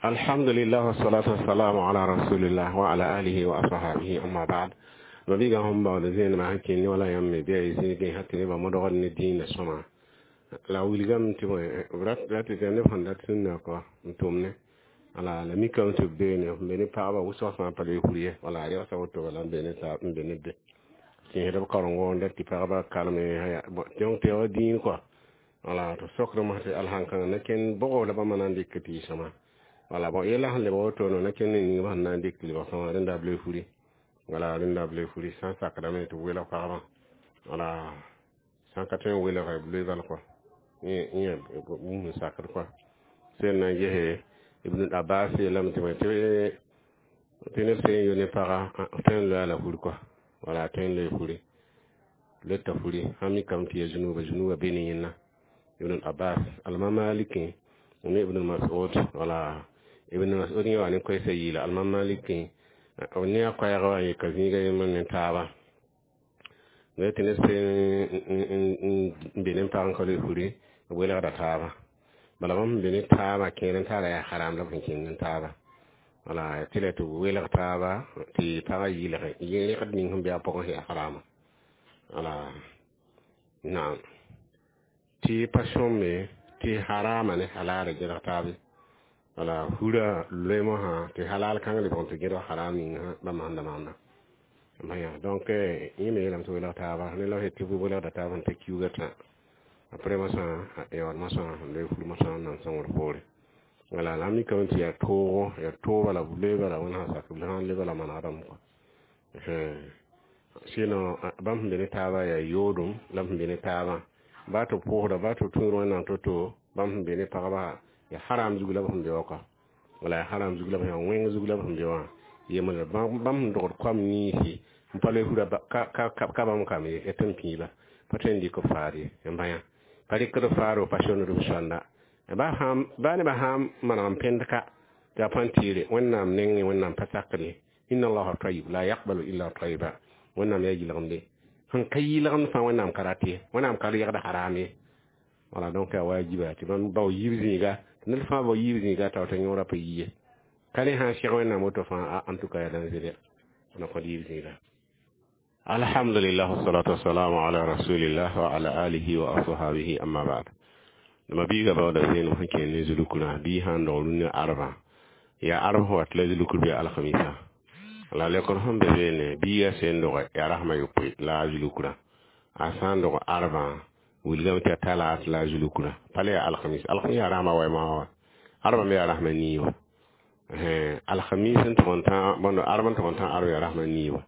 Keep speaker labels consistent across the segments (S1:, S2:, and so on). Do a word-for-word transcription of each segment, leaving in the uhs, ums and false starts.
S1: Alhamdulillah wassalatu wassalamu ala rasulillah wa ala alihi wa ashabihi, amma ba'd. Mabiga sẽn baood zẽenema sẽn kẽnd ne wala yãmb me bɩ a zĩigẽ sã tɩ nebã modgd ne dĩinã sõma la wilgame tɩ ra tɩ neb sẽn dat sũnna kɔ n tʋm ne wala la mikame tɩ b beene n be ne pagba wʋsg fãa pa loe fur ye wala regsã woto bala n be ne n be ne be tẽesd b karengo n dat tɩ pagba kalme donc tɩ ya dĩin kɔa wala tɩ sokdme tɩ alhãnkãngã na kẽnd bʋgo la bãmba na n dɩk tɩ y sõma wala bon yella sẽn lebg woto na kẽnd ne yĩngã sẽn na n dɩk tɩ lebg sõma rẽnda b loe furi wala rẽnda b loe furi sã n sakdame tɩ b welg pagba wala sã n ka tõe n welge b loe bal kɔa yẽ bũmb n sakd kɔa sel na n gese Ibn Abbas yeelame tɩ tɩ tɩ neb sẽn yo ne paga tõe n loa la fur kɔa wala tõe n loe furi leta furi sã mikame tɩ ya zunuba zunuba be ne yẽnna Ibn Abbas alma Maliki ne Ibn Mas'ud wala Ibn Mas'ud yẽ wa ne koɛɛsã yɩɩla alma Maliki ne a koɛɛg wã yeka zĩiga yembr ne taaba la tɩ neb sẽn n be ne pag n ka loe furi b welgda taaba bala bãmb sẽn be ne taabã kẽer n taara yaa haram la b sẽn kẽng n taaba wala tɩ la tɩ b welg taaba tɩ pagã yɩlge rẽgd ning sẽn be a pʋgẽ sẽn yaa harama wala naam tɩ pa sõmbe tɩ harama ne halala gẽdg taabe wala furã loeemosã tɩ halal kãng lebg n tɩ gẽdg haram ning bãmb sẽn da maanda maya donc yẽ me yeelame tɩ welg taaba ne la tɩ b welgda taab sẽn ta kiuugã tã après mosã yaood mosã n loe fur mosã n nan sõngr poore wala la mikame tɩ yaa toogo yaa tooba la b loe bala wẽnd sã sak b sã n loe bala manegdame kɔa sinon bãmb sẽn be ne taabã yaa yoodum la b sẽn be ne taabã baa tɩ pʋʋsda baa tɩ tũud wẽnnaam to-to bãmb sẽn be ne pagba yaa haram zug la b sẽn be wã kɔa wala yaa haram zug la b yaa wẽng zug la b sẽn be wã yembre bãmb sẽn dogd koam niisi n pa loe fura ka bãmb kam ye tɩ n pĩiba pa tõe n dɩk b faad ye n bãyã pa rɩkd faaro pa sõnd b sõnda ba sãn ba nebã sãn maneg n pẽnd ka tɩ a põn tɩɩre Wẽnnaam nengẽ Wẽnnaam pa sakd ye inna allaha tayyib la yaqbalu illa tayyiba Wẽnnaam yaa yɩlgemde sẽn ka yɩlgemd fãa Wẽnnaam ka rat ye Wẽnnaam ka reegd haram ye wala donc yaa wajiba tɩ bãmb bao yiib zĩiga tɩ ned fãa bao yiib zĩiga tao tɩ yõorã pa yi ye ka ne sãn seg Wẽnnaam woto fãa en tout cas yaa danger na kõd yiib zĩiga. Alhamdulillah wassalatu wassalamu ala rasulillah wa ala alihi wa ashabihi, amma ba'd. Ma biiga baooda zeenem sẽn kẽer ne zulukra bii sãn dog rũnnã arba yaa arb sẽn wat la zulukr bɩ alhamisa la lekr sẽn be beene biiga sẽn doge yaa rasma yopoe la a zulukra a sã n dog arbã wilgame tɩ a talaat la a zulukra pa le yaa alhamis alhamis yaa rasma wɛma wa arba me yaa rasma nii wa alhamis n tʋg n tã bõnd arb n tʋg n tã arb yaa rasma nii wa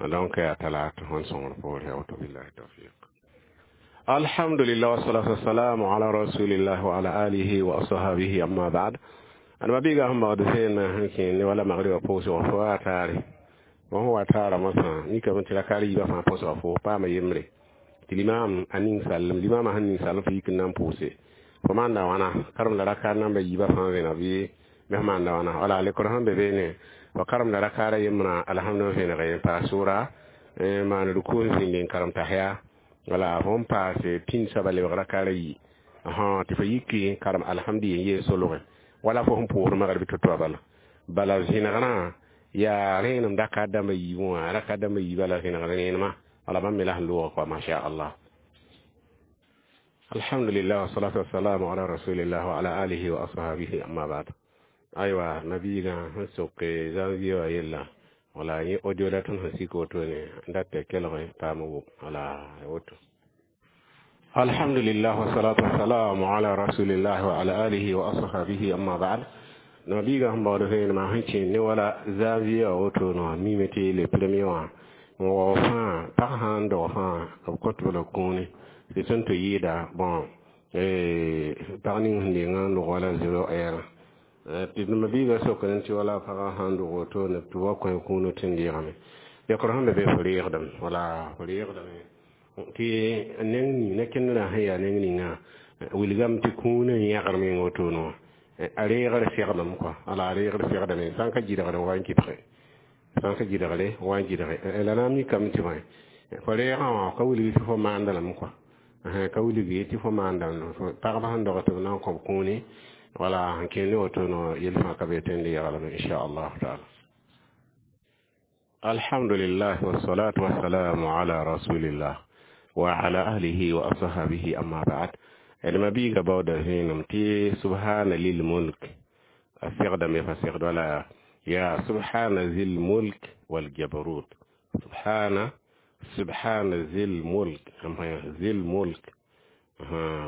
S1: donc yaa talaat sẽn sõngr poore ya woto billahi tawfiq. Alhamdulillah wassalatu wassalamu ala rasulillah wa ala alihi wa ashabihi, amma ba'd. Adama biiga sẽn baood sẽn sẽn kẽer ne wala magriba pʋʋsgã fo wa taare bõn sẽn wa taara mosã mikame tɩ rakaar yiibã fãa pʋʋsga fo paama yembre tɩ limam a ning sallem limamã sẽn ning sallem fo yik n na n pʋʋse fo maanda wãna karem la rakaar namba yiibã fãa vẽneg bɩ bɩ f maanda wãna wala lekr sẽn be beene fo karemda rakaara yembrã alhamd vẽneg n paas sʋra maan ruku n zĩnd n karem tasya wala fo n paase pĩnd soaba lebg rakaara yi tɩ fo yiki karem alhamdi n yeen solge wala fo sẽn pʋʋsd magrb to-to bala bala zẽnegrã yaa rẽenem rakaat dãmba yiibẽ wã rakaat dãmba yiibã la zẽnegr rẽenema wala bãmb me la sẽn loogã kɔa masha Allah. Alhamdulillah wassalatu wassalamu ala rasulillah wa ala alihi wa ashabihi, amma ba'd. Aywa nabiiga sẽn sok janvier wã yella wala yẽ audio la tõnd sẽn sik wotone n dat tɩ kelg paam wʋm wala woto. Alhamdulillah wassalatu wassalamu ala rasulillah wa ala alihi wa ashabihi, amma ba'd. Nabiiga sẽn baood vẽenemã sẽn kẽer ne wala janvier wã woto wã mime tɩ le premier wã n wao fãa pag sã n dog fãa b kõt b la kũuni tɩ tõnd tɩ yɩɩda bon pag ning sẽn dengã n log wala zero heure tɩ mabiiga sokd tɩ wala pagã sãn dog wotone tɩ wa kõ kũuni tɩ n deegame lekr sẽn be be fo reegdame wala fo reegdame tɩ neng ning ne kẽndrã sẽn yaa neng ninga wilgame tɩ kũunã n yãgr meng wotone wã a reegr segdem kɔa wala a reegr segdame sã n ka gɩdgr n wa n kɩbge sã n ka gɩdgre wa n gɩdge la na n mikame tɩ bõe fo reegã wã ka wilg tɩ fo maanda lame kɔa ka wilg tɩ fo maanda pagba sẽn dog tɩ b na n kõb kũuni. Wala n kẽnd ne woto no yel fãa ka be tõe n le yaglame inchallah taala. Alhamdulillah wassalatu wassalamu ala rasulillah wa ala ahlihi wa ashabihi, amma ba'd. D ma biiga baooda vẽenem tɩ subhana lil mulk a segdame fa segd wala ya subhana zil mulk wal jabarut. Subhana, subhana zil mulk, zil mulk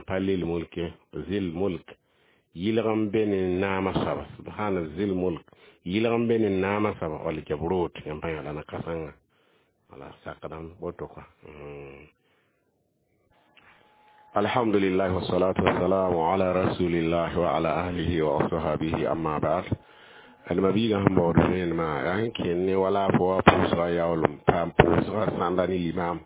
S1: pa lil mulke, zil mulk yɩlg n be ne naamã soaba. Subhana zil mulk yɩlg n be ne naamã soaba wal jabrut yãmb pa yã la na kãsengã wala sakdame woto kɔa. Alhamdulillah wassalatu wassalamu ala rasulillah wa ala ahlihi wa ashabihi, amma ba'd. Adma biiga sẽn baood vẽenemã yaa sẽn kẽnd ne wala fo wa pʋʋsga yaoolem paam pʋʋsga sãnda ne limam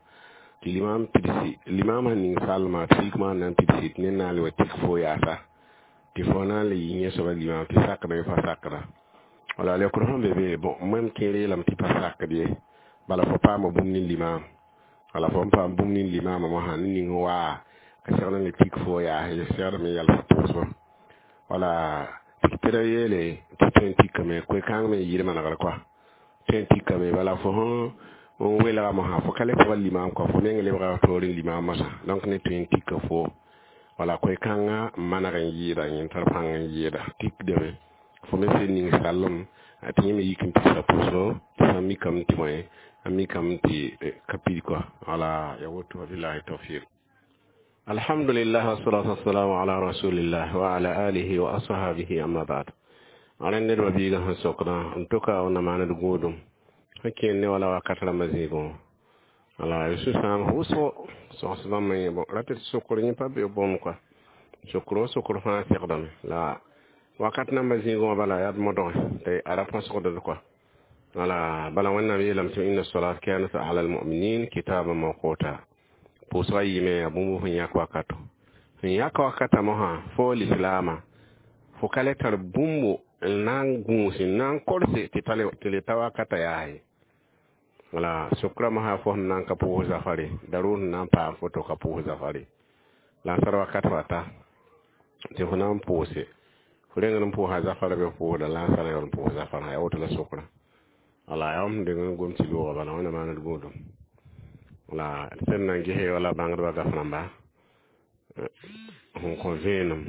S1: tɩ limam pidsi limam sẽn ning salma tɩ yik maan na n pidsi tɩ ned na n le wa tik fo yaasa tɩ fo na n le yɩ yẽ soaba limam tɩ sakda pa sakda wala leokr sẽn be be. Bon, mam kẽer yeelame tɩ pa sakd ye, bala fo paama bũmb ne limam, wala fo n paam bũmb ne limamã mosã ne ning waa ka segd n le tik fo yaas ye segdame yɛls pʋʋsgo wala tɩ ra yeele tɩ tõe n tikame koe-kãng me n yɩɩd manegr kɔa tõe n tikame. Bala fo sẽn n welga mosã fo ka le pʋga limam kɔa, fo meng lebga toore limam mosã, donc ne tõe n tika fo wala koe-kãngã n maneg n yɩɩda yẽ tar pãng n yɩɩda tikdame fo me sẽn ning sallem tɩ yẽ me yik n pidsa pʋʋsgo tɩ sã mikame tɩ bõe a mikame tɩ ka pid kɔa wala ya woto. Wabillahi tawfiq. Alhamdulillah wassalatu wassalamu ala rasulillah wa ala alihi wa ashabihi, amma ba'd. Rẽnd ned biiga sẽn sokdã n tʋka wẽnna maand gũudum sẽn kẽnd ne wala wakat rãmbã zĩigẽ wala sũ-sãam wʋsgo sõgs bãmb yẽ bon ra tɩ sokr yẽ pa be bõmb kɔa sokr wa sokr fãa segdame la wakat namba zĩigẽ wã bala yaa d modge tɩ a ra põsgd kɔa wala bala Wẽnnaam yeelame tɩ inna salat kanat ala almuminin kitaban mawquta. Pʋʋsga yɩɩme yaa bũmb sẽn yãk wakato sẽn yãk wakata mosã fo lislaamã fo ka le tar bũmbo n na n gũus n na n korse tɩ le ta wakata yaa ye. Wala sokra mosã fo sẽn na n ka pʋʋs zafare daroor sẽn na n paam foto ka pʋʋs zafare la n sar wakat wa ta tɩ fo na n pʋʋse fo reng n pʋʋsa zafara be pʋʋsda la n sara yaool n pʋʋs zafarã yaa woto la sokra wala yaa sẽn deng n gom tɩ loogã bala Wẽnna maand gũudum wala sẽn na n gese wala bãngdbã gaf rãmba sẽn kõ vẽenem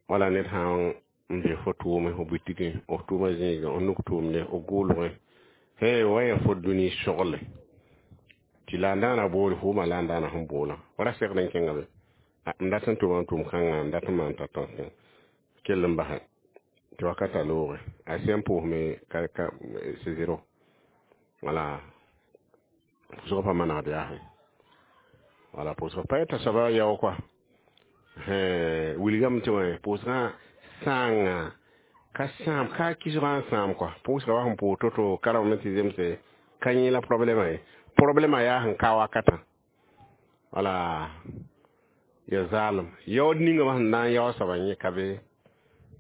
S1: wala ned sã n be fo tʋʋme fo butigẽ f tʋʋmã zĩigẽ f nuk tʋʋmde f gʋʋlgẽ he wa ya fo dũni sogle tɩ la n daana boole fo wʋma la n daana sẽn boolã wa ra segd n kẽnga be n dat n tʋma n tʋʋm kãngã n dat n maan t'a tõ kell n basɛ tɩ wakata looge a sẽn pʋʋsme ka ka c'est zéro wala pʋʋsgã pa manegd yaasẽ wala pʋʋsgã pa yeta soaba yao kɔa wilgame tɩ wã pʋʋsgã sãanga ka sãam ka kisgã n sãam kɔa pʋʋsga wa sẽn pʋʋs to-to karame tɩ zemse ka yẽ la problɛmã ye problɛmã yaa sẽn ka wakatã wala ya zaalem yaood ninga wã sẽn na n yao soaba yẽ ka be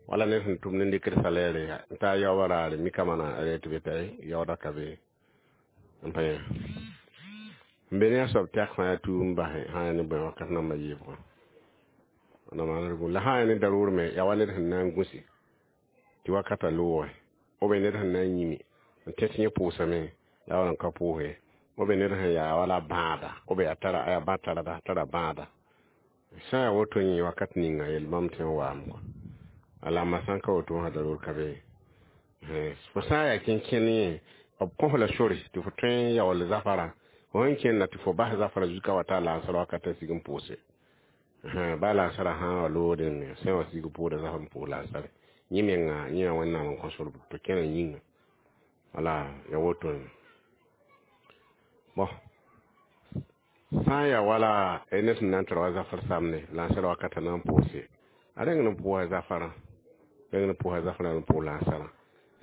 S1: wala ned sẽn tʋm ne dɩkd salɛɛre n taa yaoobã raare mikã mana a tɩ be t'a yaooda ka be n pa yẽ n be ne a soab tɛk fãa yaa tuum basẽ sã yaa ne bõe wakat namba yiibgã na maanr la sã yaa ne daroor me yaa wa ned sẽn na n gũsi tɩ wakata looge b ned sẽn na n yĩmi n tẽ tɩ yẽ pʋʋsame la wala n ka pʋʋse b ned sẽn yaa wala bãada b yaa tara yaa bã tarda tara bãada sã yaa woto yẽ wakat ninga yel bãmb tɩ n waam kɔ ala ma sã n ka woto wã daroor ka be fo sã n yaa kẽn-kẽnd yẽ b kõ la sore tɩ fo tõe n yaool zafarã fo sẽn kẽnda tɩ fo bas zafara zuka wa ta lansara wakata sig n pʋʋse ba lansara sã wa loodẽ sẽn wa sig pʋʋda zaf n pʋʋs lansare yẽ menga yẽ yaa Wẽnnaam n kõ sor tɩ kẽna yĩnga wala ya woto. Bon, sã n yaa wala ned sẽn na n tara wa zafar samne lansara wakata na n pʋʋse a reng n pʋʋsa zafarã reng n pʋʋsa zafarã n pʋʋs lansarã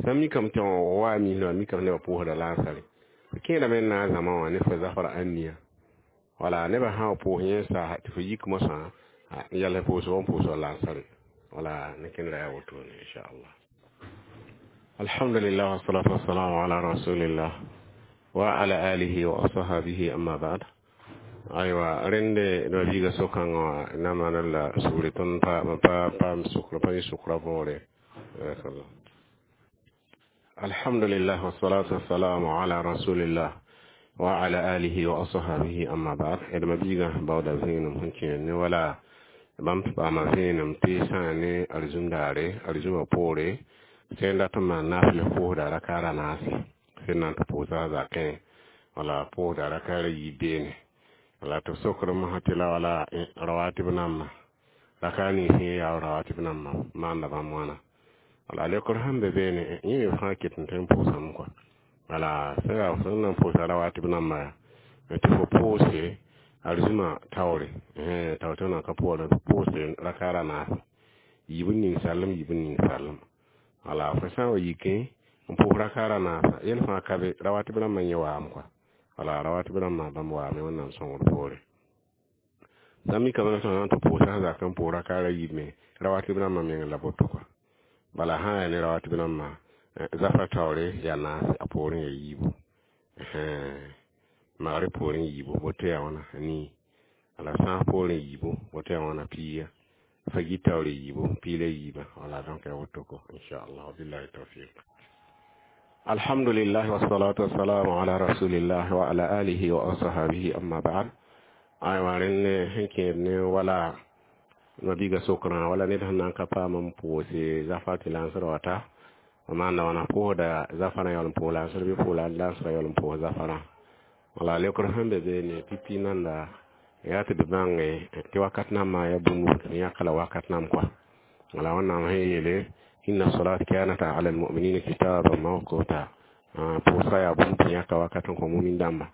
S1: sã mikame tɩ wa misã mikame nebã pʋʋsda lansare kẽedame n na n zãma wã ne fo zafara ãnnia wala nebã sã wa pʋʋs yẽ sa tɩ fo yik mosã n yɛls pʋʋsg n pʋʋsg lansare wala ne kẽndra yaa wotone inchallah. Alhamdulillah wassalatu wassalamu ala rasulillah wa ala alihi wa ashabihi, amma ba'd. Aywa rẽnde nabiiga sokãngã wã na maana la sugri tõnd pa pa paam sʋkr pa yɩ sʋkra võore. Alhamdulillah wassalatu wassalamu ala rasulillah wa ala alihi wa ashabihi, amma ba'd. D mabiigã baooda vẽenem sẽn kẽer ne wala bãmb paama vẽenem tɩ sã ne arzũm daare, arzũmã poore sẽn dat n maan naafɩl pʋʋsda rakaar a naase, sẽn na n tɩ pʋʋsa a zakẽ wala pʋʋsda rakaar a yiib beene, wala tɩ b sokr mosã tɩ la wala rawatib nambã rakaar nins yẽ yaa rawatib nambã maanda bãmb wãna. Wala leokr sẽn be beene, yẽ me fãa ket n tõe n pʋʋsame kɔa. Wala sẽn yaa sẽn na n pʋʋsa rawatib nambã tɩ fo pʋʋse arzũmã taoore tao tɩ na ka pʋʋra pʋʋse rakaar a naase, yiib n ning sallem, yiib n ning sallem. Wala fo sã n wa yikẽ n pʋʋs rakaar a naasa, yel fãa ka be, rawatib rãmbã yẽ waam kɔa. Wala rawatib rãmbã bãmb waame Wẽnnaam sõngr poore. Sã n mikame tɩ na n tɩ pʋʋsa zakẽ n pʋʋs rakaar a yiib me, rawatib rãmbã meng la boto kɔa. Bala sã n yaa ne rawatib rãmbã, zafra taoore yaa naase, a poorẽ yaa yiibu, magrɩ poorẽ yiibu, woto yaa wãna nii, wala sãas poorẽ yiibu, woto yaa wãna piiga, fagit taoore yiibu, piig la yiibã. Wala donc yaa woto ko, inchallah, wabillahi tawfiq. Alhamdulillah wassalatu wassalamu ala rasulillah wa ala alihi wa ashabihi, amma ba'd. Aywa, rẽnd sẽn kẽed ne wala mabiiga sokrã wala ned sẽn na n ka paam n pʋʋse zafa tɩ lansr wata maanda wãna pʋʋsda zafarã yaool n pʋʋs lansr bɩ pʋʋs lansrã yaool n pʋʋs zafarã. Wala leokr sẽn be beene pipi nanda yaa tɩ d bãnge tɩ wakat nambã yaa bũmb tɩ yãka la wakat nam kɔa. Wala Wẽnnaam sẽn yeele inna salat kanat ala almuminina kitaban mawquta, pʋʋsga yaa bũmb tɩ yãka wakat n kõ mumin dãmba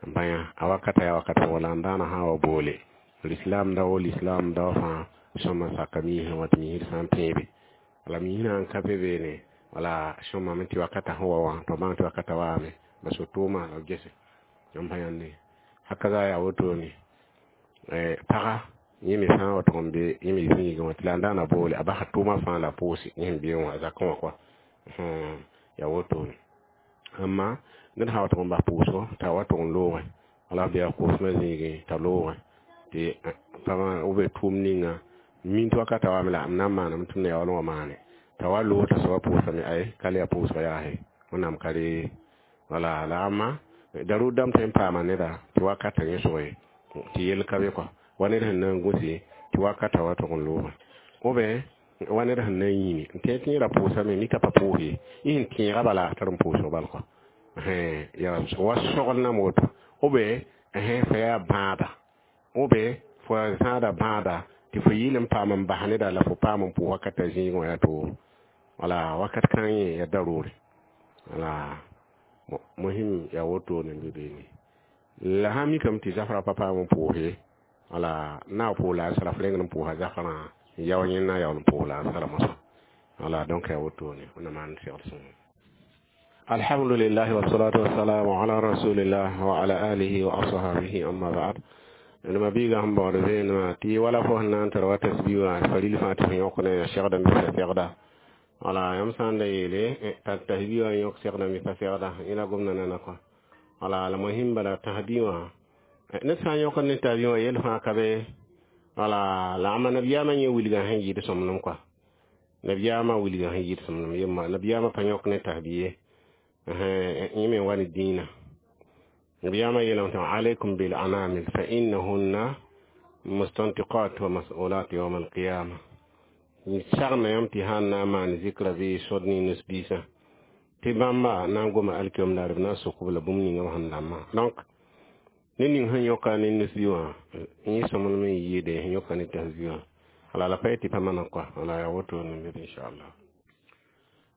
S1: n bãya a wakata yaa wakat wala n daana sã wa boole l'islam dao, l'islam dao fãa sõma saka miisã wã tɩ miisd sã n tẽebe wala miisã n ka be beene. Wala sõmame tɩ wakata sẽn wa wã tɩ bãng tɩ wakata waame ba so-tʋʋma la b gese n pa yãnde haka za yaa wotone. Paga yẽ me sã n wa tʋg n be yẽ me zĩigẽ wã tɩ la n daana boole a basa tʋʋmã fãa la pʋʋse yẽ sẽn bee wã a zakẽ wã kɔa yaa wotone. Amma ned sã wa tʋg n bas pʋʋsgo t'a wa tʋg n loogẽ wala b yaa koosmã zĩigẽ t'a loogẽ tɩ pagã b tʋʋm ninga min tɩ wakata waame la m na n maaname tɩ m na yaool n wa maane t'a wa loog t'a soaba pʋʋsame ay ka le yaa pʋʋsga yaase Wẽnnaam ka re. Wala la amma darʋʋd dãmb tõe n paama neda tɩ wakata yẽ sʋge tɩ yell ka be kɔa wa ned sẽn na n gũse tɩ wakata wa tʋg n loogã ou bien wa ned sẽn na n yĩme n tẽ tɩ yẽ ra pʋʋsame mika pa pʋʋs ye, yẽ sẽn tẽega bala a tar n pʋʋsg bal kɔa yaa wa sogl nam woto, ou bien fa yaa bãada, ou bien fo zãada bãada tɩ fo yɩɩl n paam n bas neda la fo paam n pʋʋs wakata zĩigẽ wã yaa toore. Wala wakat kãng yẽ yaa daroore. Wala mohim yaa wotone n be beene la sã mikame tɩ zafrã pa paam n pʋʋse, wala na pʋʋs la a sara f rengd n pʋʋsa zafrã n yao yẽnd na yaool n pʋʋs la a sara mosã. Wala donc yaa wotone Wẽnnaam maan segl sõngo. Alhamdulillah wassalatu wassalamu ala rasulillah wa ala alihi wa ashabihi, amma ba'd. Nima biiga sẽn baood vẽenemã tɩ wala fo sẽn na n tar wa tasbi wã faril fãa tɩ f yõk ne segda n bisa segda. Wala yãmb sã n da yeele t'a tasbi wã yõk segda n bisa segda yẽ la gomda nana kɔa. Wala la mohim bala tasbi wã ned sã n yõkd ne tasbi wã yel fãa ka be. Wala la ãmba nabiyaamã yẽ wilgã sẽn yɩɩd sõmblem kɔa, nabiyaamã wilgã sẽn yɩɩd sõmblem yemma nabiyaamã pa yõk ne tasbi ye, yẽ me wa ne dĩinã. Nabiyaamã yeelame tɩ alaykum bil anamil fa innahunna mustantiqat wa mas'ulat yawm alqiyama, sagna yãmb tɩ sã n na n maan zikra bɩ sod ne nus-biisã tɩ bãmba na n goma alkiom daar b na n sok b la bũmb ninga b sẽn dãmbã. Donc ned ning sẽn yõka ne nus-bi wã yẽ sõmblem n yɩɩde sẽn yõka ne tasbi wã. Wala la pa yetɩ pa mana kɔa. Wala yaa wotone n be, inchallah.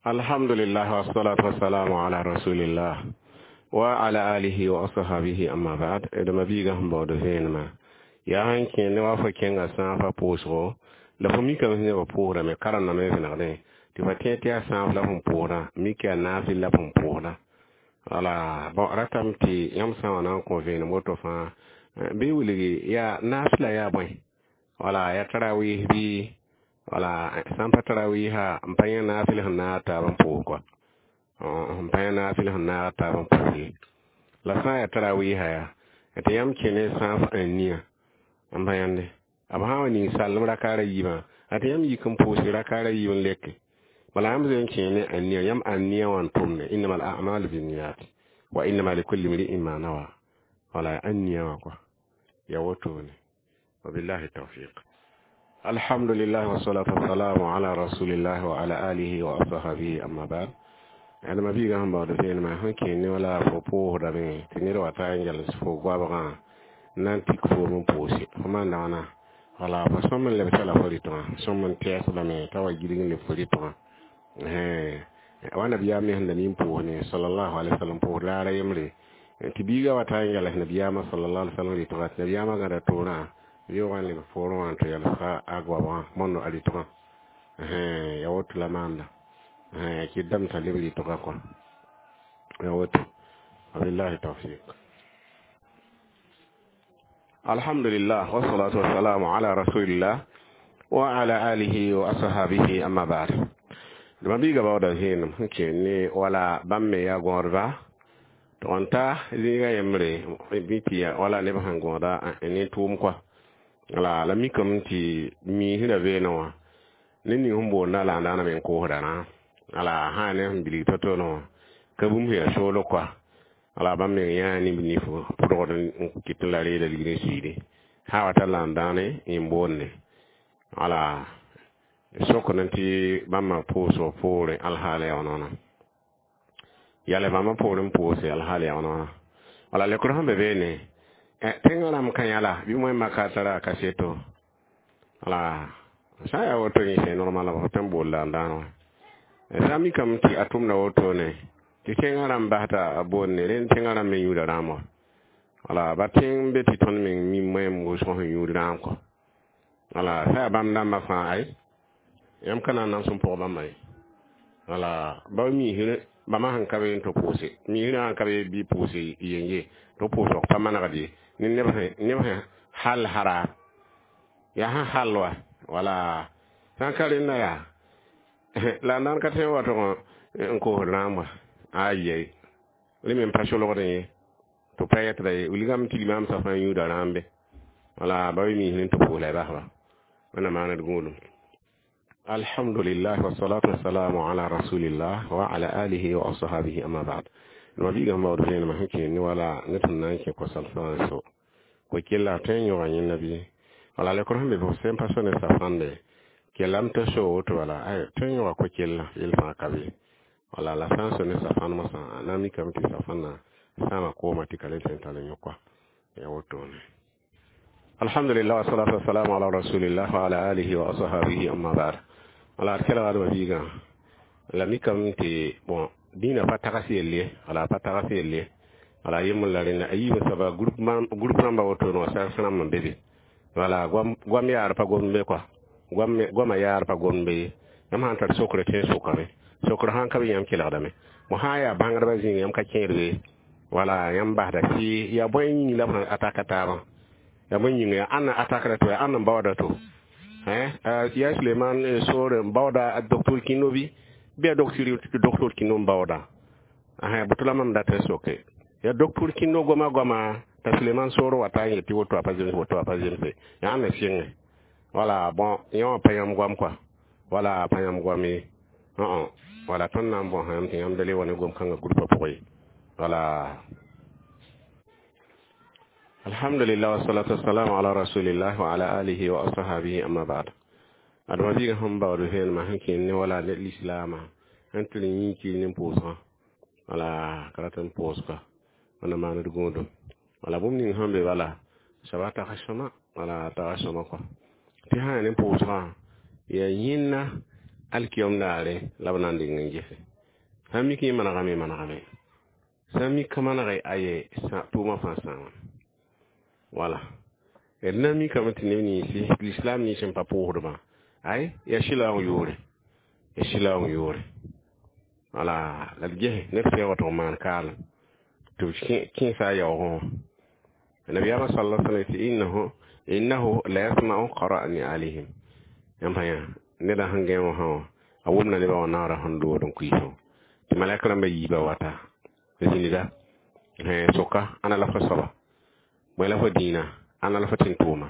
S1: Alhamdulillah wassalatu wassalamu ala rasulillah wa ala alihi wa ashabihi, amma ba'd. D mabiigã sẽn baood vẽenemã yaa sẽn kẽ ne wa fo kẽnga sãafã pʋʋsgo la fo mikame sẽn ba pʋʋsdame karendame vẽnegdẽ tɩ fa tẽ tɩ yaa sãaf la fõn pʋʋsda mik yaa naafɩl la fõn pʋʋsda. Wala bon ratame tɩ yãmb sã n wa na n kõ vẽenem woto fãa bɩ wilgi yaa naafɩla yaa bõe, wala yaa tarawih bɩ wala sã n pa tarawisa n pa yẽ naafɩl sẽn naag taab n pʋʋs kɔa, n pa yẽ naafɩl sẽn naag taab n pʋʋs ye. La sã n yaa tarawisa yaa Tɩ yãmb kẽ ne sãaf ania n pa yãnde b sã n wa ning sallem rakaara yiibã a tɩ yãmb yik n pʋʋsg rakaara yiib n leke bala yãmb zoe n kẽ ne ania yãmb ania wã n tʋmne innama al a'malu binniyat wa innama likulli mri'in ma nawa wala ania wã kɔa ya wotone wabillahi tawfiq alhamdulillah wassalatu wassalamu ala rasulillah wa ala alihi wa ashabihi amma ba'd adama biiga sẽn baood vẽenemã sẽn kẽ ne wala fo pʋʋsdame tɩ ned wa ta n yals fo goabgã n na n tik foom n pʋʋse fo maanda wãna wala fo sõm n lebsa la fo rɩtgã sõm n tɛɛsdame t'a wa gilg n leb fo rɩtgã wa nabiyaam me sẽn da nin pʋʋs ne sallallahu alaihi wasallam pʋʋs raara yembre tɩ biiga wa ta n yals nabiyaamã sallallahu alaihi wasallam rɩtgã tɩ nabiyaamã gãda toorã yoogã n leb poorẽ wã n tɩ yalsga a goabgã mondo a rɩtgã ya woto la maanda kɩdame t'a leb rɩtgã kɔa ya woto wabillahi tawfiq alhamdulillah wassalatu wassalamu ala rasulillah wa ala alihi wa ashabihi amma ba'd dama biiga baooda vẽenem sẽn kẽ ne wala bãmb me yaa gõodba tɩ n ta zĩiga yembre bɩ tɩ wala neb sẽn gõoda ne tʋʋm kɔa la la mikame tɩ miisrã veenẽ wã ned ning sẽn boonda la n daana me n koosda rã ala sã ne sẽn bilg to-to wã ka bũmb sẽn yaa soolg kɔa ala bãmb meng yãa neb nif pʋdgd n kɩt la reeda ligd n suiide sã wa tar la n dãane yẽn boonde ala sokd tɩ bãmba pʋʋsg poorẽ alhaal yaa wãna yala bãmba poorẽ n pʋʋse alhaal yaa wãna wala lekr sẽn be beene tẽngã rãmb ka yãla bɩ moẽmã ka tara a kaseto wala sã n yaa woto yẽ c'est normal f tõe n bool la n dãan wã sã n mikame tɩ a tʋmda wotone tɩ tẽngã rãmb basda a boonde rẽnd tẽngã rãmb me yũuda rãam wã wala ba tẽng be tɩ tõnd meng mi moẽm wʋsg sẽn yũud rãam kɔ wala sã yaa bãmb dãmbã fãa ay yãmb ka na n nams n pʋg bãmba ye wala ba miisr bãmba sẽn ka be n tɩ pʋʋse miisrã sãn ka be bɩ pʋʋse yenge tɩ pʋʋsg pa manegd ye ne neb sẽn hal hara yaa sẽn hal wa wala sã n ka rẽnda yaa la n daan ka tõe n wa tʋg n koosd rãam wa ayɛy rẽ me n pa solgdẽ ye tɩ pa yɛtda ye wilgame tɩ limaam sã fãa yũuda rãambe wala ba be miisr n tɩ pʋʋs la y basba wẽnnaam maaned gũudum alhamdulillah wassalatu wassalamu ala rasulillah wa ala alihi wa ashabihi amma ba'd ma biiga sẽn baood vẽenemã sẽn kẽ ne wala ne tɩ na n kẽ kosal fãa so ko kella tõe n yõga yẽnda bɩ wala lekr sẽn be fo sẽn pa so ne safãnde kellame tɩ so woto wala ay tõe n yõga ko-kella yel fãa ka be wala la sã n so ne safãn mosã a na n mikame tɩ safãnna sãama kooma tɩ ka le tõe n tall n yõka ya wotone alhamdulillah wassalatu wassalamu ala rasulillah wa ala alihi wa ashabihi amma ba'd wala d kelgdma biigã la mikame tɩ bon dĩinã pa tags yell ye wala pa tags yell ye wala yembr la rẽnda a yiibã soaba groupe rãmbã wotone wã sags rãmb n be be wala goam yaar pa gomd be kɔa goamã yaar pa gomd be ye yãmb sã n tar sokre tõe n sokame sokr sãn ka be yãmb kelgdame mo sã n yaa bãngdbã zĩig yãmb ka kẽed be wala yãmb basda tɩ yaa bõe yĩng la b sẽn ataka taabã yaa bõe yĩnga yaa ãnna atakda to yaa ãnn n baooda to yaa Suleiman soore n baooda docteur Kĩndo bɩ bɩ yaa docteur Kĩndo n baooda boto la mam dat n soke yaa docteur Kĩndo goama goama t'a Suleiman soor wa ta n yet tɩ woto a pa zemse woto a pa zemse yaa ãnna sɩnge wala bon yẽ wã pa yãmb goam kɔa wala pa yãmb goam ye wala tõnd na n bõs yãmb tɩ yãmb da le wa ne gom-kãngã groupa pʋgẽ ye wala alhamdulillah wassalatu wassalamu ala rasulillah wa ala alihi wa ashabihi amma ba'd adama biiga sẽn baood vẽenemã sẽn kẽ ne wala ne lislaamã sẽn tɩ yĩnkir ne pʋʋsgã wala ka rat n pʋʋsga wẽnna maand gũudum wala bũmb ning sẽn be bala soaba tags sõma wala tags sõma kɔa tɩ sã yaa ne pʋʋsgã yaa yẽnna alkiyom daare la b na n deng n gese sã n mik yẽ manegame manegame sã n mik ka manege aye tʋʋmã fãa sãama wala d na n mikame tɩ neb ninsi l'islam nins n pa pʋʋsdbã ay yaa sɩlaoong yoore yaa sɩlaoong yoore wala la d ges neb sẽn wa tɩ b maan kaalem tɩ b kẽesa a yaoogẽ wã nabiyaamã sala sallam tɩ innahu innahu la yasma'u qara'ni alayhim yãmb pa yã neda sẽn gẽ wã sã wã a wʋmda nebã wã naoora sẽn dood n kuiisẽ tɩ malɛk rãmbã yiibã wata zĩniga soka ãna la fo soaba Bõe la fo dĩinã ãnna la fo tɩ n tʋʋma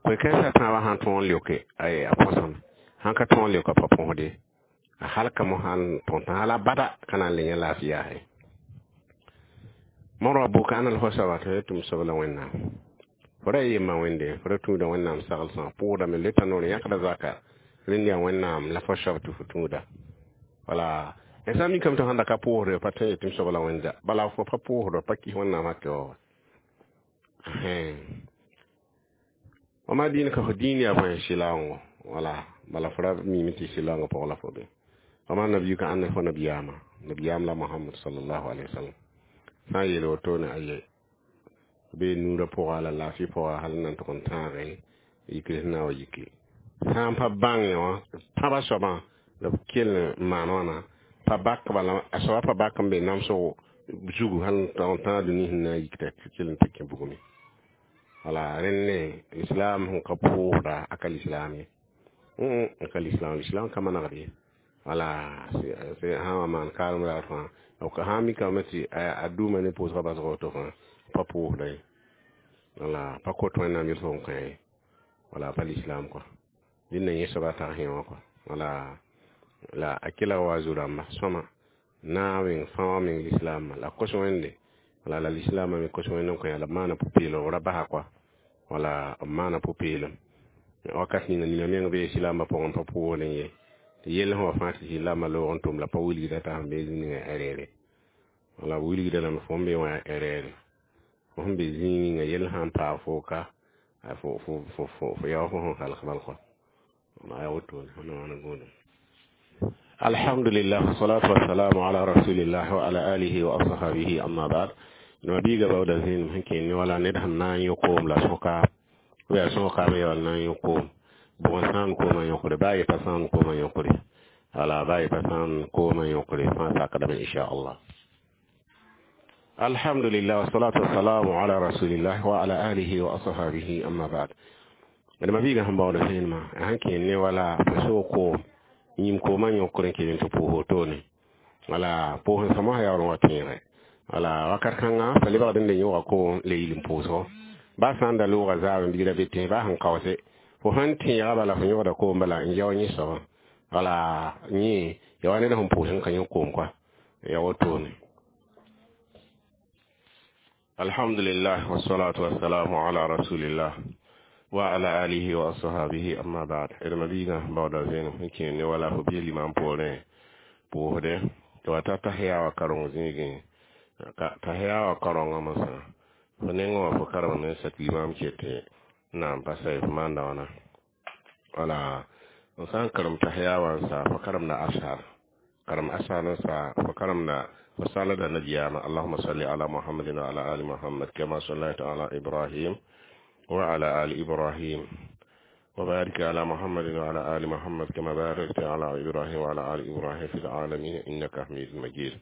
S1: koe-kãensã tãabã sãn tõog n leoke a põsem sãn ka tõog n leoka pa põsde a halkame sãn tõt hala bada ka na n le yẽ laafɩ yaase morã buka ãnna la fo soaba tɩ tɩ m soab la Wẽnnaam fo ra yemma Wẽnde fo ra tũuda Wẽnnaam saglsã pʋʋsdame leta noor yãkda zaka rẽnd yaa Wẽnnaam la fo soab tɩ fo tũuda wala sã n mikame tɩ sãn da ka pʋʋsde pa tõe tɩ m soab la Wẽnda bala fo pa pʋʋsd pa kis Wẽnnaam hakɛ wa wama dĩin ka fo dĩin yaa bõe sɩlaoongo wala bala fo ra mime tɩ sɩlaoongã pʋgã la fo be wama nabiyu ka ãnna fo nabiyaamã nabiyaam la Mohamad sallallahu alaihi wasallam sã n yeel wotone aye be nuurã pʋga la laafɩ pʋga hal n na n tʋg n tãage yikr sẽn na n wa yike sã n pa bãng wã pãbã soabã la b kell n maan wãna pa bak bala a soaba pa bak n be namsg zugu hal n tag n tãag dũni sẽn na n yik t'a kell n tɩ kẽ bugme wala rẽnd ne islam sẽn ka pʋʋsda a ka lislaam ye n ka lislaam lislaam ka manegd ye wala sã n wa maan kaalem raar fãa sã n mikame tɩ a dũuma ne pʋʋsgã basg woto fãa pa pʋʋsda ye wala pa kot Wẽnnaam yel-sõm n kõ ye wala pa lislaam kɔa dẽnda yẽ soaba tag sẽ wã kɔa wala la a kela wa zu-rãmba sõma naag meng fãa wã meng lislaamã la kos Wẽnde wala la lislaamã me kos Wẽnd n kõ la b maana pʋ-peelem b ra basa kɔa wala b maana pʋ-peelem wakat ninga nina meng bee silaambã pʋgẽ pa pʋʋsdẽ ye tɩ yell sẽn wa fãa tɩ silaambã loog n tʋm la pa wilgda t'a sẽn be zĩ ninga erreur wala b wilgda lame fo n be wã erreur fo sẽn be zĩig ninga yell sã n paag fo ka fo fo fo fo yao fo sẽn halg bal kɔa yaa wotone wẽnnaam wãna gũudum alhamdulillah wassalatu wassalamu ala rasulillah wa ala alihi wa ashabihi amma ba'd no biiga bawda zĩnem sẽn kẽnd wala ned sẽn na n yõ koom la sõka yaa sõka me yaool na n yõ koom bʋg n sãam koomã yõkre baa ye pa sãam koomã yõkre wala baa ye pa sãam koomã yõkre fãa sakdame inchallah alhamdulillah wassalatu wassalamu ala rasulillah wa ala alihi wa ashabihi amma ba'd d ma biiga sẽn baood zẽnemã sãn kẽnd ne wala fo soog koom yĩm koomã yõkr n kell tɩ pʋʋs wotone wala pʋʋs n sõma yaool n wa tẽege wala wakat kãngã fa lebgd n le yõga koom le yil n pʋʋsgo baa sã n da loogã zaab n bigra be tẽ baa sẽn kaoose fo sãn tẽega bala fo yõgda koom bala n yao yẽ soabã wala yẽ ya wa ned sẽn pʋʋs n ka yõ koom kɔa ya wotone alhamdulillah wassalatu wassalamu ala rasulillah wa ala alihi wa ashabihi amma ba'd d ma biigã baooda zẽnem sẽn kẽer ne wala fo bɩ limam poorẽ pʋʋsdɛ tɩ wa ta tahiya wã kareng zĩigẽ tahiya wã karengã mosã fo nengẽ wã fo karemame n sak limam ket n na n pa sa fo maanda wãna wala f sã n karem tahiya wã n sa fo karemda asar karem asar n sa fo karemda fo salda nabiyaama allahuma salli ala muhammadin wa ala ali muhammad kama sallaita ala ibrahim وعلى آل إبراهيم وبارك على محمد وعلى آل محمد كما باركت على إبراهيم وعلى آل إبراهيم في العالمين إنك حميد مجيد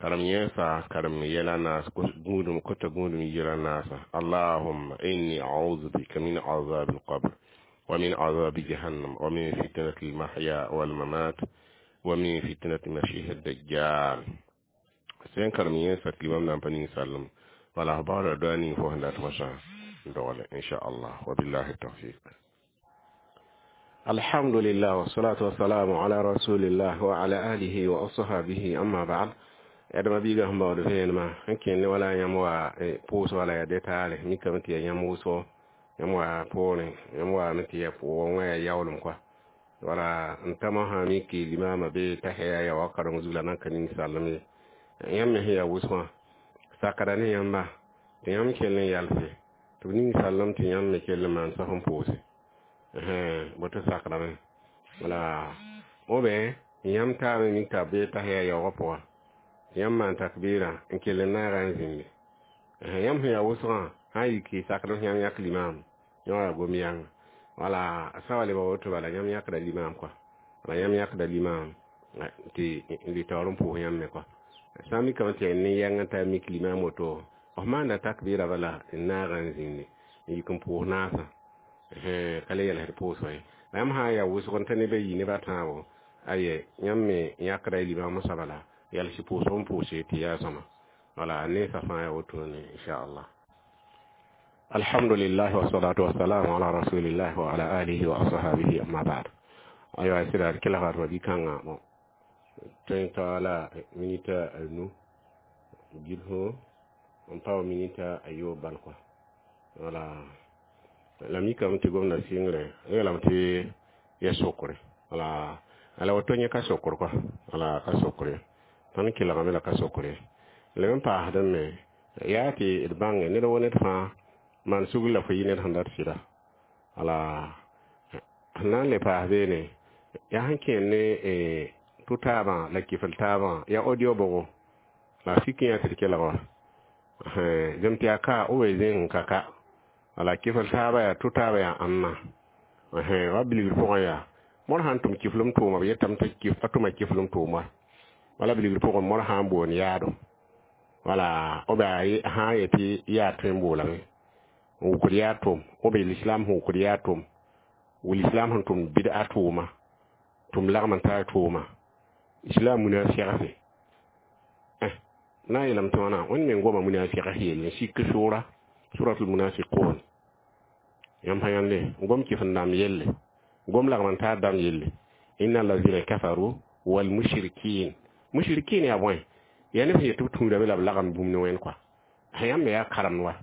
S1: كرم يسا كرم يلا ناس قودم كنت قودم يلا ناس اللهم إني أعوذ بك من عذاب القبر ومن عذاب جهنم ومن فتنة المحيا والممات ومن فتنة المسيح الدجال سين كرم يسا كلمة نبني سلم ولا بار داني فهنا تمشى dogale inshallah wabillahi tawfiq alhamdulillah wassalatu wassalamu ala rasulillah wa ala alihi wa ashabihi amma ba'd adama biiga sẽn baood vẽenemã sẽn kẽnd ne wala yãmb wa pʋʋs wala yaa detaale mikame tɩ yaa yãmb wʋsgo yãmb wa poorẽ yãmb waame tɩ yaa wã yaa yaoolem kɔa wala n ta mosã mik limaamã bee tahiya ya wa kareng zug la nan ka ning sallem ye yãmb me sẽn yaa wʋsgã sakda ne yãmba tɩ yãmb kell n yalse tɩ b ning sallem tɩ yãmb me kell n maan saf n pʋʋse boto sakdame wala obe yãmb taame mik t'a bee tahiya yaoogã pʋga yãmb maan takbɩɩrã n kell n naaga n zĩnde yãmb sẽn yaa wʋsgã sã n yiki sakdem sẽn yãmb yãk limaam yã wa gom yãnga wala sã wa lebg woto bala yãmb yãkda limaam kɔa wala yãmb yãkda limaam tɩ d taoor n pʋʋs yãmb me kɔa sã n mikame tɩ yaa ne-yɛng n taa mik limaam woto f maanda takbɩɩrã bala n naaga n zĩnde n yik n pʋʋs naasã ka le yɛlsd pʋʋsgã ye la yãmb sã n yaa wʋsg n ta neb a yi neb a tãabo aye yãmb me yãkda y limaam sã bala yals pʋʋsg n pʋʋse tɩ yaa sõma wala nensã fãa yaa wotone inchallah Alhamdulillah wassalatu wassalamu ala rasulillah wa ala alihi wa ashabihi amma ba'd. Aywa sira kila ga bi kanga mo tõe n ta la minita a nu gilso n pa wa minita a yoob bal kɔa. Wala la mikame tɩ gomda sɩngre yeelame tɩ ya sokre. Wala ala woto yẽ ka sokr kɔa, wala ka sokre tõnd kelgame la ka sokre. Leb n paasdẽ me yaa tɩ d bãnge ned wo ned fãa maan sugr la fo yɩ ned sẽn dat sɩda. Wala sẽn na n le paas beene yaa sẽn kẽer ne tʋ-taabã la kifl taabã yaa audio bʋgo la sik yã tɩ d kelg wa zem tɩ yaa ka b wee zẽng n ka ka. Wala kifl taabã yaa tʋ-taabã yaa ãnna wa bilgr pʋgẽ yaa mõr sã n tʋm kiflem tʋʋma b yetame tɩ a tʋma kiflem tʋʋma wala bilgr pʋgẽ mõr sã n boond yaado wala b sã n yetɩ yaa tõe n boolame n wʋkd yaa tʋm b lislam sẽn wʋkd yaa tʋm lislam sẽn tʋmd bɩd'a tʋʋma tʋm lagm n tar tʋʋma islam munafɩgse na n yeelame tɩ wãna wẽnd me goma munafɩgs yell n sik sʋʋra suratul munafiqun yãmb sã yãnde gom kɩf n dãmb yelle gom lagm n taar dãmb yelle inna allazina kafaru wal mushrikin mushrikin yaa bõe yaa neb sẽn yet tɩ b tũudame la b lagem bũmb ne wẽnd kɔa yãmb me yaa karemd wa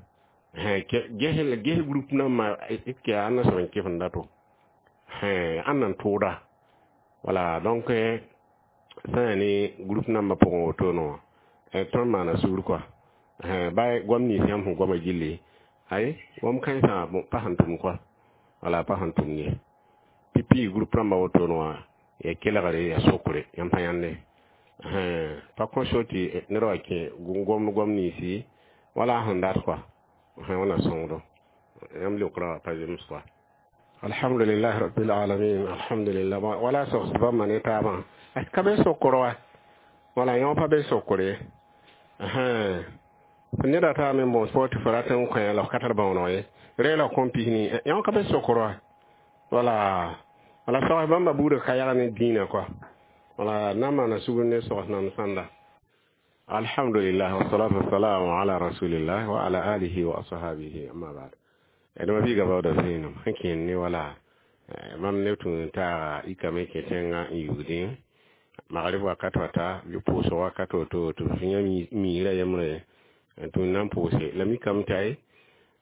S1: ges groupe nãmbã ke yaa ãnna soab n kɩf n dato ãnna n tʋʋda. Wala donc sã yaa ne groupe nambã pʋgẽ wotone wã tõnd maana sugr kɔa ba goam nins yãmb sẽn goama gilli ay goam kãensã pa sẽn tʋm kɔa wala pa sẽn tʋm ye pipi groupe rãmbã wotone wã ya kelgre ya sokre yãmb pa yãnde pa kõ so tɩ ned wa kẽ gom goam ninsi wala a sẽn dat kɔa wẽna sõngdo yãmb leokrã pa zems kɔa. Alhamdulillah rabbil alamin alhamdulillah wala sogs bãmba ne taabã ka be sokr wa wala yõ pa be sokr ye neda taa me n boos fo tɩ fo rat n kõ la f ka tar bãooneg ye reela kõn pisni yõ ka be sokr wa wala wala sogs bãmba buudã ka yag ne dĩinã kɔa wala na n maana sugr ne sogs nam sãnda. Alhamdulillah wassalatu wassalamu ala rasulillah wa ala alihi wa ashabihi amma ba'd. D ma biiga baooda zẽenem sẽn kẽer ne wala mam neb tũ n taaga ikame kẽ tẽngã n yugdẽ magrib wakat wata bɩ pʋʋsg wakat woto tɩ f yã miirã yembre n tũ n na n pʋʋse la mikame tɩ ay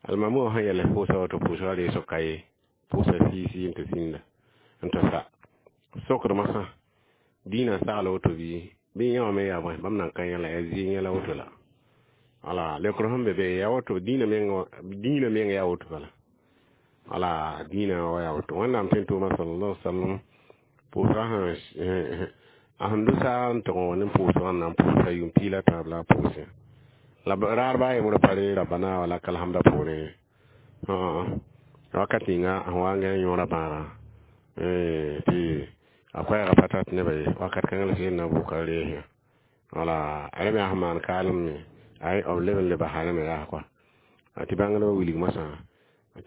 S1: almamã wã sẽn yɛls pʋʋsa woto pʋʋsgã reesg ka ye pʋʋsa sii-sii n tɩ sĩnda n tɩ sa sokd masã dĩinã sagl woto bɩ bɩ yã wã me yaa bõe bãmb nan ka yã la yaa zɩ yẽ la woto la wala leokr sẽn be be yaa woto dĩinã meng dĩinã meng yaa woto bala wala dĩinã wa yaa woto wẽnnaam tõe n tʋʋma sallallahu alaihi wasallam pʋʋsgã sẽn a sẽn do saag n tɩg wã ne pʋʋsgã n na n pʋʋsa yʋʋm piig la tãab la a pʋʋsẽ la raar baa yembrã pa re rabbana wa lakal hamda poorẽ wakat ninga sẽn wa n gã yõora bãagrã tɩ a koɛɛgã pa tat nebã ye wakat kãngã la sẽn na bʋka reesẽ wala a rẽ me yaa sẽn maan kaalem me ay b leb n le basa rẽ me yaa kɔa tɩ bãngdbã wilg masã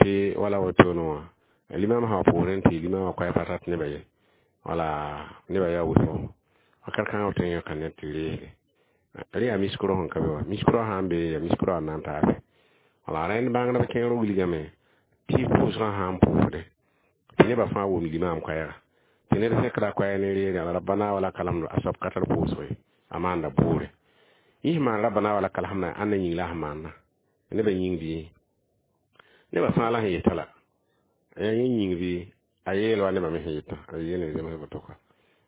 S1: tɩ wala wotone wã limam sã wa poorẽ tɩ limamã koɛɛ pa tat nebã ye wala nebã yaa wʋsgo wakat kãngã b tõe n yõka ned tɩ reesde rẽ yaa miskro sẽn ka be wa miskro sã n be yaa miskro n na n taase wala rẽnd bãngdb kẽer wilgame tɩ pʋʋsgã sã n pʋʋsde tɩ nebã fãa wʋm limam koɛɛga tɩ ned zẽkda koɛɛg ne reere la rabbana wa lakal hamdu a soab ka tar pʋʋsg ye a maanda boore yẽ sẽn maan rabbana wa lakal hamda ãnna yĩng la sẽn maanda nebã yĩng bɩ nebã fãa la sẽn yeta la yẽ yĩng bɩ a yeel wa nebã me sẽn yetã a yeel n zems woto kɔa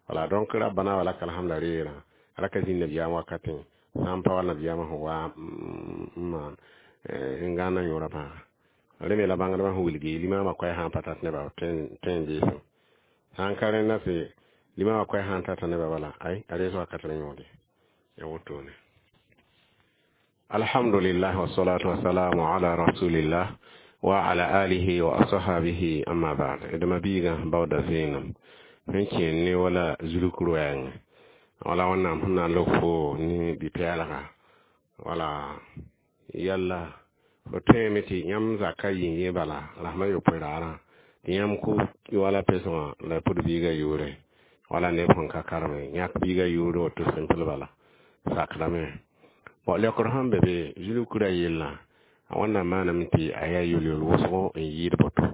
S1: wala donc rabbana wa lakal hamda reerã raka zĩnd nabiyaam wakatẽ sã n pa wa nabiyaamã sẽn wa n maan n gãnna yõora bãaga rẽ me la bãngdbã sẽn wilgi limamã koɛɛ sã n pa tat nebã tõe n deesem sã n ka rẽnda tɩ limamã koɛɛ sã n tata nebã bala ay a rees wakat rẽ yõode ya wotone. Alhamdulillah wassalatu wassalamu ala rasulillah wa ala alihi wa ashabihi amma ba'd. D ma biigã baooda zẽenem sẽn kẽer ne wala zulk roɛɛngẽ wala wẽnnaam sẽn na n lok fo ne bɩ-pɛɛlga wala yalla fo tõeme tɩ yãmb zaka yĩng yẽ bala rasmã yopoe raarã tɩ yãmb kʋ wala pesgã la pʋd biigã yʋʋre wala neb sẽn ka kareme yãk biigã yʋʋre woto simple bala sakdame. Bon leokr sẽn be be zulkra yellã A wẽnnaam maaname tɩ a yaa yel-yel wʋsgo n yɩɩd boto.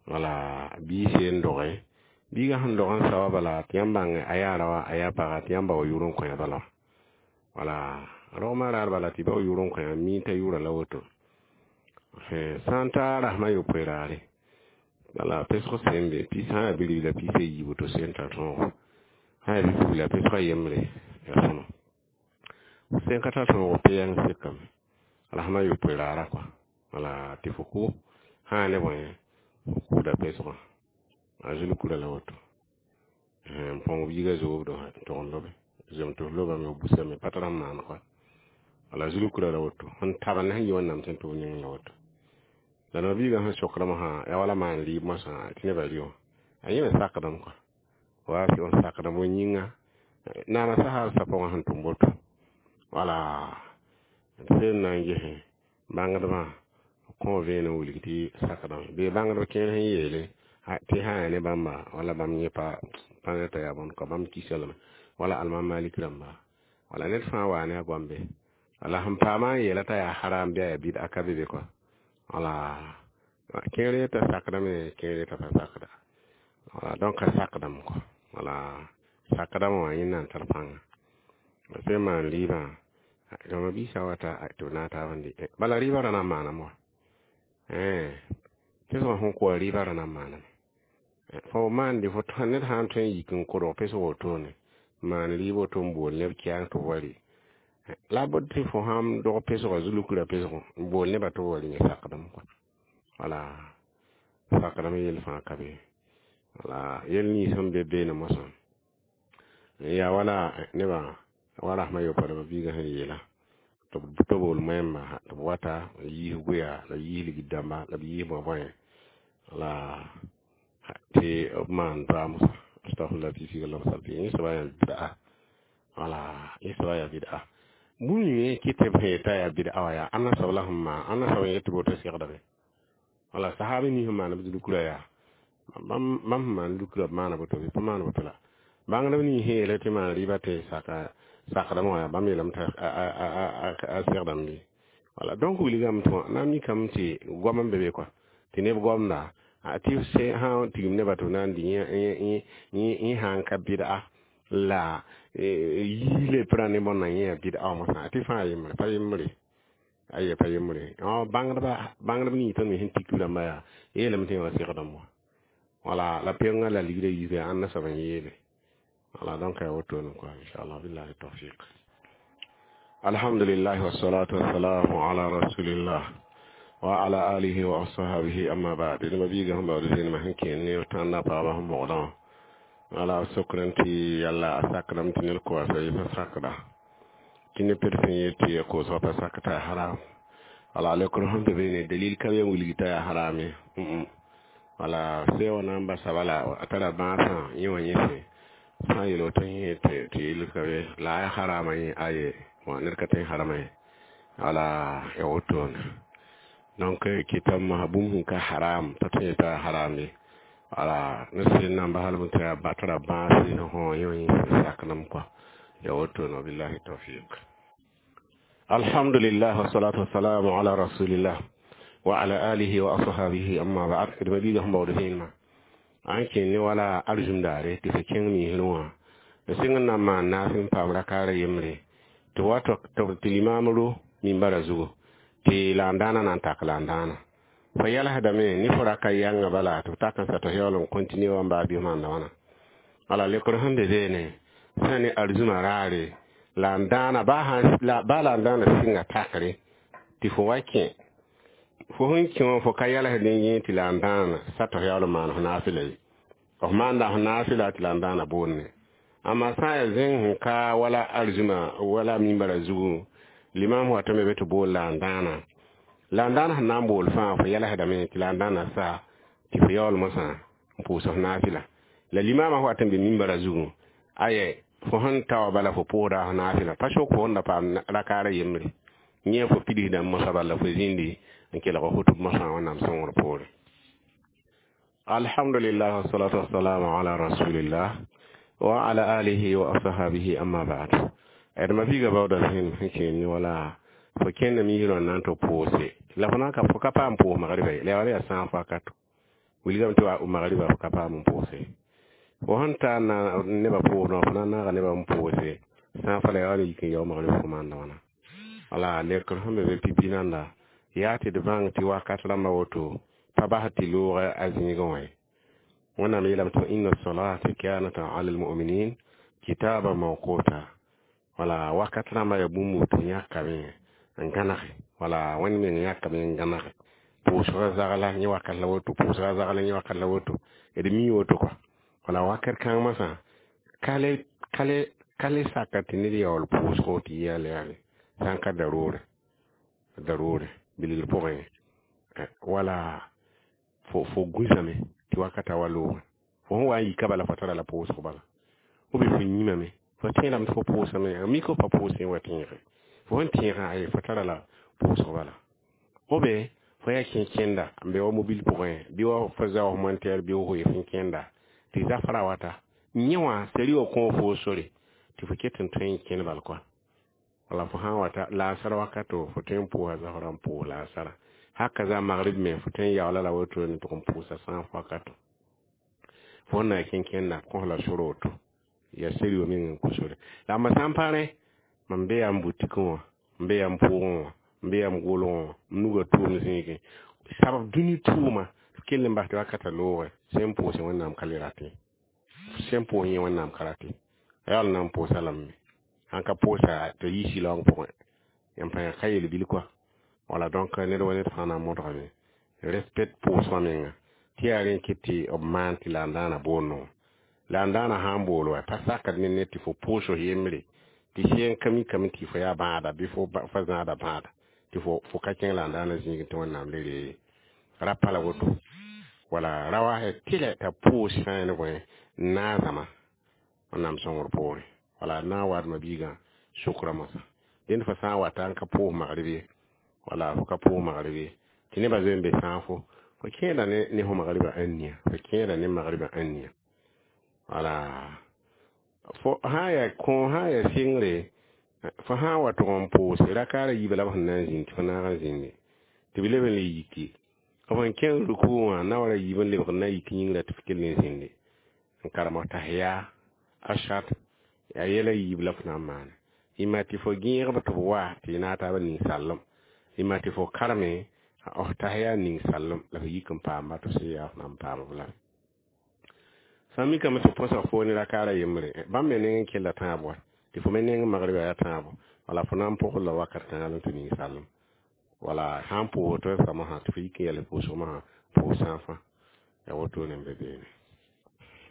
S1: Wala bii seen doge biiga sẽn dog n sa wa bala tɩ yãmb bãng a yaa raoã a yaa paga tɩ yãmb bao yʋʋr n kõ bala. Wala rogmã raar bala tɩ bao yʋʋr n kõ mi t'a yʋʋra la woto. Sã n ta rasmã yopoe raare bala pesg sẽn be pis sã n yaa bi-ribla pis a yiib woto sẽn tar tõogo sã n yaa bi-pugla pesgã yembre yaa sõma sẽn ka tar tõogo pe-yãng sekame rasmã yopoe raara kɔa wala tɩ fo kʋ sã ne bõe fo kʋʋda pesgã a zulkura la woto n põng biiga zoobdo n tog n lobe zem tɩ f lobame f busame pa tar n maan kɔa wala zulkura la woto sẽn tab ne sẽn yi wẽnnaam sẽn tʋ b ning la woto. La no biiga sẽn sokdame sã yaa wala maan rɩɩb moasã tɩ nebã rɩ wã a yẽ me sakdame kɔa wa fɩ n sakdame yĩnga naama sa hal sa pʋgẽ sẽn tʋm woto wala sẽn na n ges bãngdbã kõ vẽenem wilg tɩ sakdame bee bãngdb kẽer sẽn yeele tɩ sã yaa ne bãmba wala bãmb yẽ pa pa t'a yaa bõnd kɔ bãmb kisa lame wala almam malik rãmba wala ned fãa waa ne a goambe wala sẽn paamã n yeela t'a yaa haram bɩ a yaa bɩd a ka be be kɔa wala kẽer yeta sakdame kẽer yeta pa sakda wala donc a sakdame kɔa wala sakdame wã yẽnda n tar pãnga sẽn maan rɩɩbã rãmba biisã wata tɩ b naag taab n dɩ bala rɩɩbã ra na n maaname wa pesgã sẽn kʋa rɩɩbã ra na n maaname fo maande fo ned sã n tõe n yik n kodg pesg wotone maan rɩɩb woto n bool neb kɛang tɩ b wa rɩ la b tɩ fo sãn dog pesgã zulkra pesg n bool nebã tɩ b wa rɩ yẽ sakdame kɔa wala sakdame yell fãa ka be wala yel nins sẽn be beene mosã yaa wala nebã wa rasmã yopoe la biigã sẽn yeela tɩ b bool moɛɛmbã tɩ b wata n yiis goya la b yiis ligd dãmba la b yiis bõe-bõe wala tɩ b maan doa mosã astagfirullah tɩ la b sal tɩ yẽ soaba yaa bid'a wala yẽ soaba yaa bid'a bũmb ning kɩ tɩ b sẽn yetã yaa bid'a wã yaa ãnna soab la sẽn maan ãnna soab n yet tɩ woto segdame wala sahaba nins sẽn maan b zulkra yaa bãmb sẽn maan lukra b maana boto bɩ pa maan boto la bãngdb nins sẽn yeela tɩ maan rɩɩbã tɩ saka sakdame wã bãmb yeelame t'a a segdame bɩ wala donc wilgame tɩ na n mikame tɩ goam n be be kɔa tɩ neb goamda tɩ sã tigim nebã tɩ b na n dɩ yẽ sã n ka bɩd'a la yiile pʋra ne bõnna yẽ yaa bɩd'a wã mosã tɩ fãa yembre pa yembre aye pa yembre bãngdba bãngdb nins tõnd me sẽn tik rãmba yaa yeelame tɩ yẽ wa segdame wã wala la pengã la ligdã yiisã ãnna soab n yeele wala donc yaa wotone kɔa inchallah billahi tawfiq. Alhamdulillah wassalatu wassalamu ala rasulillah wa ala alihi wa ashabihi amma ba'd. Dẽma biiga sẽn baood zẽnema sẽn kẽen ne tãnda paabã sẽn bogdã wã wala sokr tɩ yalla a sakdame tɩ ned koasa yɩ pa sakda tɩ ne ped sẽn yet tɩ ya koosgã pa sak t'a haram wala lekr sẽn be beene dalil ka be n wilg t'a yaa haram ye wala se wã na n basa bala a tara bãasã yẽ wã yẽse sã n yeel woto yẽ tɩ yel ka be la a yaa harama yẽ aye ned ka tõe n harama ye wala ya wotone donc kɩtame bũmb sẽn ka haram pa tõe t'a haram ye wala ne sẽn na n bas lame tɩ a tara bãase sẽn fõ yẽ wã yẽ sakdame kɔa ya wotone billahi tawfiq. Alhamdulillah wassalatu wassalamu ala rasulillah wa ala alihi wa ashabihi amma ba'd. D biiga sẽn baood vẽenemã a n kẽn ne wala arzũm daare tɩ fo kẽng miisrẽ wã d sɩng n na n maan naas n paam rakaara yembre tɩ wa tɩ limaam ro mimbara zugu tɩ la n dãana na n tak la n dãana fo yɛlsdame ne fo raka yãnga bala tɩ b tak n sa tɩ yaool n continue wa n baa bɩ maanda wãna wala lekr sẽn be beene sã ne arzũmã raare la n dãana baa la n dãana sɩnga takre tɩ fo wa kẽ fo sẽn kẽ wã fo ka yɛlsd yẽ tɩ la n dãana sa tɩ f yaool n maan f naafɩla ye f maanda f naafɩla tɩ la n dãana boonne amma sã n yaa zẽng sẽn ka wala arzũmã wala mimbara zugu limam watame be tɩ bool la n dãana la n dãana sẽn na n bool fãa fo yɛlsdame tɩ la n dãana sa tɩ fo yaool mosã n pʋʋs f naafɩla la limamã wat n be mimbara zugu aye fo sẽn ta wa bala fo pʋʋsda f naafɩla pa sok fo sẽn da paam rakaara yembre yẽ fo pidsdame mosã bala fo zĩndi n kelg hutub mosã wẽnnaam sõngr poore. Alhamdulillah wassalatu wassalamu ala rasulillah wa ala alihi wa ashabihi amma ba'd. D ma biiga baooda sẽn sẽn kẽen wala fo kẽnda misrã n na n tɩ pʋʋse La fo na ka fo ka paam pʋʋs magriba ye, la ya wala yaa sãag wakato. Wilgame tɩ wa magriba fo ka paam n pʋʋse. Fo sẽn tar na nebã pʋʋsdã, fo na n naaga nebã n pʋʋse sãag fa la ya wala yik n yao magriba fo maanda wãna. Wala lekr sẽn be be pipi nanda yaa tɩ d bãng tɩ wakat rãmba woto pa bas tɩ loog a zĩigẽ wã ye. Wẽnnaam yeelame tɩ inna salata kanat ala almuminin kitaba mawquta. Wala wakat rãmba yaa bũmb tɩ yãkame n gãnege. Wala Wẽnd meng yãkame n gãnege. Pʋʋsgã zagla yẽ wakat la woto, pʋʋsgã zagla yẽ wakat la woto, d mi woto kɔa. Wala wakat kãng masã ka le ka le ka le saka tɩ ned yaool pʋʋsgo tɩ yɩ yale yale sã n ka daroore daroore bilgr pʋgẽ, wala fo fo gũsame tɩ wakata wa loogẽ. Fo sẽn wa n yika bala fo tara la pʋʋsg bala. Ou bien fo yĩmame, fo tẽedame tɩ fo pʋʋsame, a mik f pa pʋʋsẽ wa tẽege. Fo sẽn tẽegã aye fo tara la pʋʋsg bala. Ou bien fo yaa kẽn-kẽnda n be wa mobil pʋgẽ, bɩ wa fo zaoos montɛɛr bɩ fo fo kẽnda tɩ zafra wata yẽ wã seri wã kõ fo sore tɩ fo ket n tõe n kẽn bal kɔa. Wala fo sã n wata laasar wakato fo tõe n pʋʋsa zafrã n pʋʋs laasara. Haka za magrib me fo tõe n yaoola la woto n tʋg n pʋʋsa sãag wakato. Fo sẽn na kẽn-kẽnda kõ la sor woto yaa seri wã meng n kõ sore. La mam sã n pa rẽ, mam be yaa m butikẽ wã, m be yaa m pʋʋgẽ wã, m be yaa m gʋlgẽ wã, m nugã tʋʋm zĩigẽ. Sabab dũni tʋʋma f kell n bas tɩ wakatã loogẽ sẽn pʋʋsẽ Wẽnnaam ka le ratẽ. Sẽn pʋʋs yẽ Wẽnnaam ka ratẽ. A yaool na n pʋʋsa lame. Sãn ka pʋʋsa tɩ yi sɩlaoong pʋgẽ. Yãmb pa ka yel-bil kɔa. Wala donc ned wa ned fãa na n modgame. Respect pʋʋsgã menga. Tɩ yaa rẽ kɩt tɩ b maan tɩ la n daana boond wã. La n daana sã n bool wa pa sakd ne ned tɩ fo pʋʋs f yembre tɩ sẽn ka mikame tɩ fo yaa bãada bɩ fo fa zãada bãada tɩ fo fo ka kẽng la n daana zĩigẽ tɩ Wẽnnaam le ree ra pa la woto. Wala ra wa tɩlɛ t'a pʋʋs sã ne bõe n naag zãma Wẽnnaam sõngr poorẽ. Wala n na n waadmã biigã sʋkrã moasã. Dẽnd fo sã n wata n ka pʋʋs magrib ye, wala fo ka pʋʋs magrib ye, tɩ nebã zoe n be sãag fo, fo kẽeda ne ne fo magribã ãnnia, fo kẽeda ne magribã ãnnia. Wala fo sã n yaa kõ sã n yaa sɩngre, fo sã n wa tʋg n pʋʋse rakaara yiibã la b sẽn na n zĩnd tɩ fo naag n zĩnde tɩ b leb n le yiki. B sẽn kẽng ruku wã na wa ra yiib n lebg n na yik yĩngrã tɩ f kell n zĩnde n karem tahiya ashat yaa yɛla yiib la f na n maane. Yĩma tɩ fo gẽegb tɩ b wa tɩ y naag taabã ning sallem. Yĩma tɩ fo karme f tahiya ning sallem la f yik n paamba tɩ f sẽn yaa f na n paam b lame. Sã n mikame tɩ põsg fo ne rakaara yembre, bãmb me neng n kella tãab wa tɩ fo me neng magriba yaa tãabo, wala fo na n pʋgl la wakat kãngã la tɩ ning sallem. Wala sã n pʋʋs tɩ f masã tɩ fo yik n yɛl pʋʋsg masã pʋʋs sãag fãa. Yaa wotone n be beene.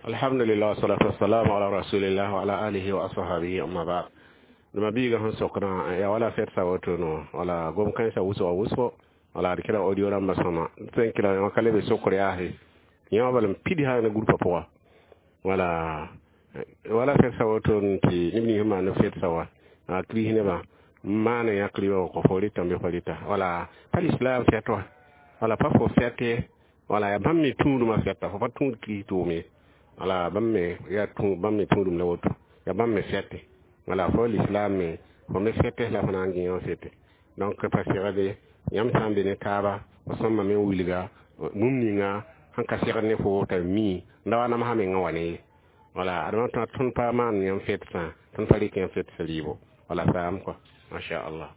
S1: Alhamdulillah wassalatu wassalamu ala rasulillah wa ala alihi wa ashabihi amma ba'd. Dma biiga sẽn sokdã yaa wala fɛtsa wotono, wala gom kãensã wʋsga wʋsgo, wala d kɩra audio rãmbã sõma tõe n kɩra wã ka lebe sokr yaase yẽ wã bala n pid sã ne groupa pʋga. Wala wala fɛtsa woto tɩ neb nins sẽn maan fɛtsa wa a kris nebã n maan yãk rɩbã wã kõ fo rɩtame bɩ fo rɩta. Wala pa lislaam fɛt wã, wala pa fo fɛt ye, wala yaa bãmb me tũudmã fɛta, fo pa tũud kris tʋʋm ye. Wala bãmb me yaa bãmb me tũudum la woto, yaa bãmb me fɛte. Wala fo lislaam me fo me fɛte la fo na n gẽ wã fete. Donc pa segde yãmb sã n be ne taaba, fo sõmame n wilga bũmb ninga sẽn ka segd ne fo t'a mi n da wa namsã mengã wa ne ye. Wala adama tõnd pa maan yãmb fɛt sã, tõnd pa rɩk yãmb fɛt rɩɩbo. Wala saam kɔa, masha Allah.